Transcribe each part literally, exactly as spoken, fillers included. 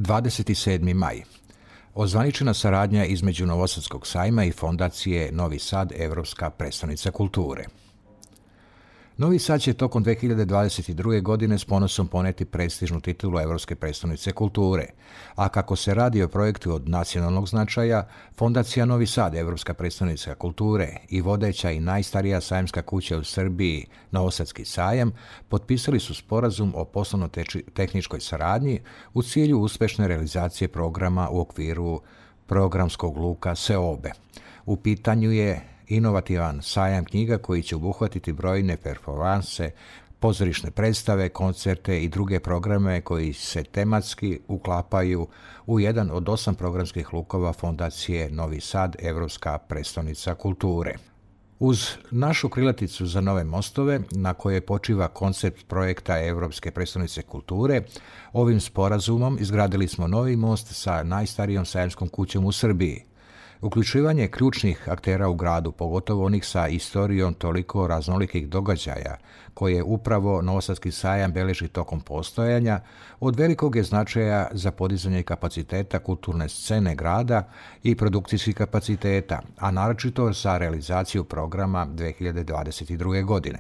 dvadeset sedmi maj. Ozvaničena saradnja između Novosadskog sajma i Fondacije Novi Sad, Evropska prestonica kulture. Novi Sad će tokom dve hiljade dvadeset druge. godine s ponosom poneti prestižnu titulu Evropske prestonice kulture, a kako se radi o projektu od nacionalnog značaja, Fondacija Novi Sad, Evropska prestonica kulture i vodeća i najstarija sajamska kuća u Srbiji, Novosadski sajam, potpisali su sporazum o poslovno-tehničkoj saradnji u cilju uspešne realizacije programa u okviru programskog luka Seobe. U pitanju je inovativan sajam knjiga koji će obuhvatiti brojne performanse, pozorišne predstave, koncerte i druge programe koji se tematski uklapaju u jedan od osam programskih lukova Fondacije Novi Sad, Evropska prestonica kulture. Uz našu krilaticu za nove mostove, na kojoj počiva koncept projekta Evropske prestonice kulture, ovim sporazumom izgradili smo novi most sa najstarijom sajamskom kućom u Srbiji. Uključivanje ključnih aktera u gradu, pogotovo onih sa istorijom toliko raznolikih događaja, koje upravo Novosadski sajam beleži tokom postojanja, od velikog je značaja za podizanje kapaciteta kulturne scene grada i produkcijskih kapaciteta, a naročito za realizaciju programa dve hiljade dvadeset druge. godine.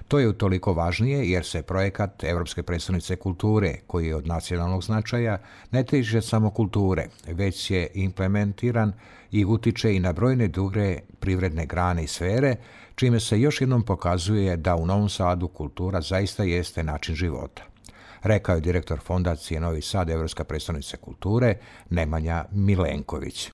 To je utoliko važnije jer se projekat Evropske prestonice kulture, koji je od nacionalnog značaja, ne tiče samo kulture, već je implementiran i utiče i na brojne druge privredne grane i sfere, čime se još jednom pokazuje da u Novom Sadu kultura zaista jeste način života, rekao je direktor Fondacije Novi Sad, Evropska prestonica kulture, Nemanja Milenković.